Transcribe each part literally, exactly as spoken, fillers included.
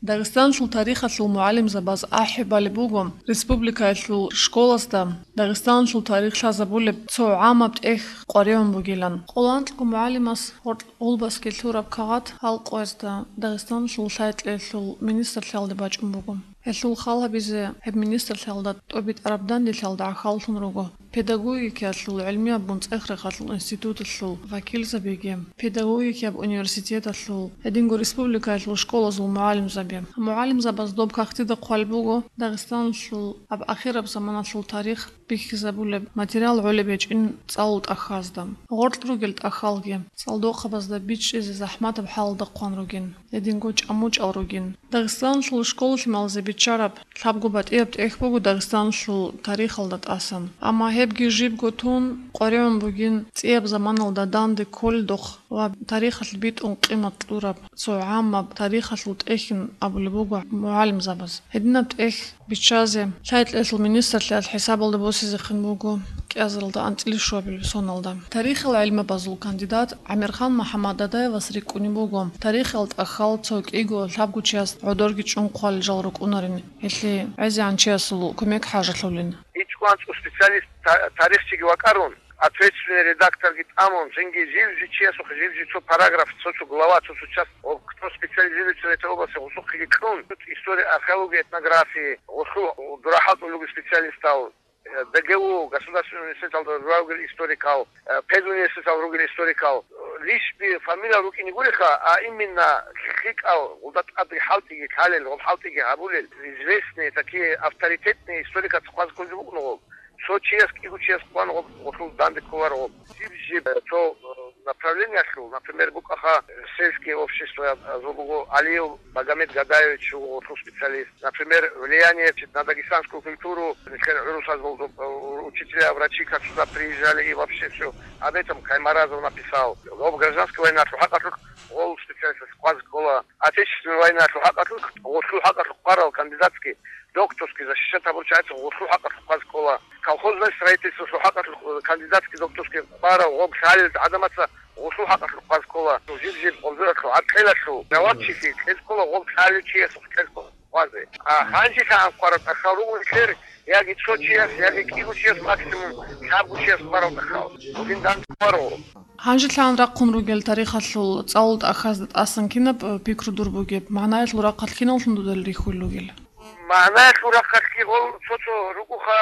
Дагъистаналъул тарихалъул мугӀалимзабаз ахӀи балеб буго республикаялъул школазда Дагъистаналъул тарих лъазабулеб цо гӀамаб тӀехь къваригӀун бугилан. Къоло анкьго мугӀалимас гъоркь гъулбасги лъураб кагъат гьал къоязда Дагъистаналъул лъай-кьеялъул министрлъиялде бачӀун буго. Гьелъул хал гьабизе гьеб министрлъиялда тӀобитӀараб данделъиялда гӀахьаллъун руго педагогикаялъул гӀилмияб бунцӀех-рехалъул институталъул вакилзабиги, педагогикияб университеталъул, гьединго республикаялъул школазул мугӀалимзаби. МугӀалимзабаз доб кагътида хъвалеб буго Дагъистаналъул гьаб ахираб заманалъул тарих бихьизабулеб материал гӀолеб гьечӀин цӀалул тӀахьазда. Гъоркь ругел тӀахьалги цӀалдохъабазда бичӀчӀизе захӀматаб хӀалалда хъван ругин, гьединго чӀамучӀал ругин. Дагъистаналъул школа-лъималазе биччараб лъабго батӀияб тӀехь буго Дагъистаналъул тарихалда тӀасан. Амма гьебги жибго тун къваригӀун бугин цӀияб заманалда данде кколедухъ ва тарихалъ битӀун къимат кьураб цо гӀамаб тарихалъул тӀехьин абулеб буго мугӀалимзабаз. Гьединаб тӀехь биччазе лъай-кьеялъул министрлъиялъ хӀисабалда босизехъин буго кӀиазаралда анцӀила щуабилеб соналда. Тарихил гӀилмабазул кандидат ГӀамирхан МухӀаммад Дадаевас рикӀкӀунеб буго, тарихил тӀахьал цо кӀиго лъабго чияс гӀодорги чӀун хъвалел жал рукӀунарин, гьелъие гӀезегӀан чиясул кумек хӀажалъулин. ИчӀго анцӀго специалист, та-, тарихчиги вакӀарун, ответственный редакторги тӀамун, цинги жив-жив чиясухъе жив-жив цо параграф, цо-цо глава, цо-цо часть, о, кто специализируется в этой области, гъусухъеги кьун, история, археология, этнография, гъусу дурахъал тӀулуги специалистал, э, ДГУ, государственный университеталда ругел историкал, э, педуниверситетал ругел историкал, лишби фамилия рукӀине гуриха, а именно лъикӀал гъулда тӀаде хӀалтӀиги лъалел, гъоб хӀалтӀиги гьабулел, известные, такие авторитетные историкал хъвазе кколги букӀун гъоб. Цо чияс, кӀиго чияс хъван гъоб, гъолъул данде кколар гъоб. Жиб-жиб, э, цо, э, направлениялъул, например, букӀаха, э, сельские общества, э, зо буго Алиев Багамед Гадаевич, гъолъул специалист. Например, влияние на дагестанскую культуру, нилъер гӀурусазул, э, учителя, врачи, как сюда приезжали и вообще всё. Об этом Каймаразов написал. Гъоб гражданская войналъул хӀакъалъулъ гъол специалист хъвазе ккола. Отечественная войналъул хӀакъалъулъ, гъолъул хӀакъалъулъ хъварал кандидатский, докторский защищать гьабурчи гӀайса гъолъул хӀакъалъулъ хъвазе ккола. Колхозное строительстволъул хӀакъалъулъ кандидатский, докторский хъварал гъоб лъалел гӀадамаца гъолъул хӀакъалъулъ хъвазе ккола. Жиб-жиб къваригӀуналъул, гӀаркьелалъул жавабчилъи кьезе ккола гъоб лъалев чиясухъ кьезе ккола хъвазе. А гьанжелъагӀан хъварал тӀахьал руго нилъер, яги цо чияс, яги кӀиго чияс, максимум лъабго чияс хъварал тӀахьал. Гьедин данде хъваро. ГьанжелъагӀан рахъун ругел тарихалъул цӀалул тӀахьазда тӀасан кинаб, э, пикру дур бугеб? МагӀнаялъул рахъалъ киналлъун дуда рихьулел ругел? МагӀнаялъул рахъалъги гъол цо-цо ругоха,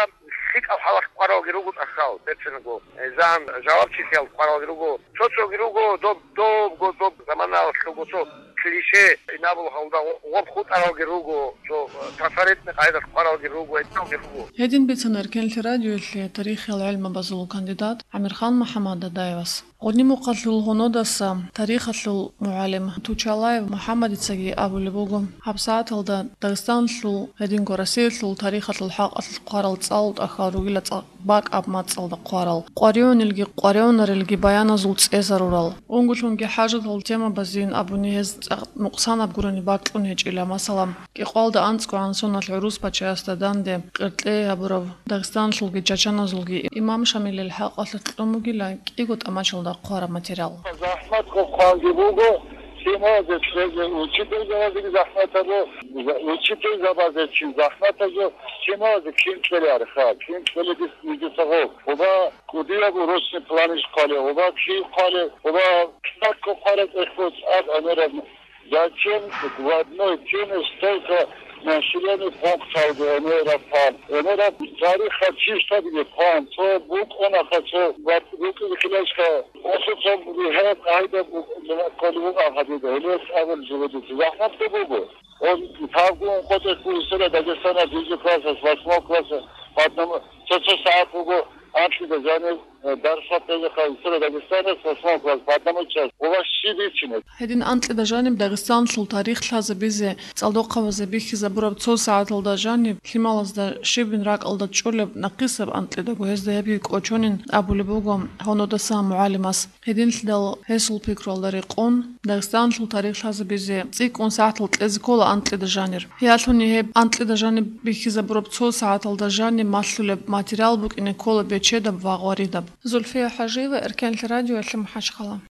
лъикӀал хӀалалъ хъваралги руго тӀахьал, берцинго. Э, загьан жавабчилъиялъ хъваралги руго. Цо-цоги руго, доб, добго, доб заманалъ руго цо клише, инабул гьалда гъоб хутӀаралги руго, цо, э, трафаретный къайдалъ хъваралги руго, гьединалги руго. Гьедин бицана Эркенлъи радиоялъе тарихиял гӀилмабазул кандидат ГӀамирхан МухӀаммад Дадаевас. Гъудин-Мухъалъул гьунодаса тарихалъул мугӀалим Тучалаев МухӀаммадицаги абулеб буго, гьабсагӀаталда Дагъистаналъул, гьединго Россиялъул тарихалъул хӀакъалъулъ хъварал цӀалул тӀахьал ругила цӀакъ бакӀаб мацӀалда хъварал, къваригӀунелги къваригӀунарелги баяназул цӀезарурал. Унго-лъунги хӀажатал темабазейин абуни гьез цӀакъ нукъсанаб гурони бакьун гьечӀила, масала, кӀикъоялда анцӀгогӀан соналъ гӀурус пачаясда данде къеркьей гьабурав Дагъистаналъулги чачаназулги имам Шамилил хӀакъалъулъ кьун бугила кӀиго тӀамачалда хъвараб материал. ЗахӀмат хъванги буго, лъималазе кьезе учительзабазеги захӀмат гьабо, учительзабазе чи захӀмат гьабо, лъималазе кин кьеларха, кин кьеледис нигиса гъов. Оба кӀудияб урочный планиш хъвале, оба чи хъвале, оба китабго хъвараб тӀехь буц аб гӀемераб. Зачем в одной теме столько населенный пункт гӀемераб хъван? ГӀемераб тарихалъ чиштабизе хъван, цо букӀунаха, цо букӀизе хилаишха, осо цо гьеб гьайда кколеб букӀан гьадида, гьелес абун живедица. ЗахӀматго буго. Он тавгун къотӀехъ буго история Дагестана, дижи классас, восьмой классас, по одному, цо-цо сагӀат буго, анкьида жанив, э, дарсат бегьиха история Дагестана, восьмой класс, по одному час. У вас щиб ичинаб? Гьедин анкьида жаниб Дагъистаналъул тарих лъазабизе цӀалдохъабазе бихьизабураб цо сагӀаталда жаниб лъималазда щибин ракӀалда чӀолеб нахъисаб анкьидаго гьезда гьебги кӀочонин абулеб буго гьунодаса мугӀалимас. Гьединлъидал гьесул пикруялда рекъон, Дагъистаналъул тарих лъазабизе цӀикӀкӀун сагӀатал кьезе ккола анкьида жанир. Гьелъуни гьеб анкьида жаниб бихьизабураб цо сагӀаталда жаниб малъулеб материал букӀине ккола бечедаб ва гъваридаб. Зульфия ХӀажиева, Эркенлъи радиоялъе МахӀачхъала.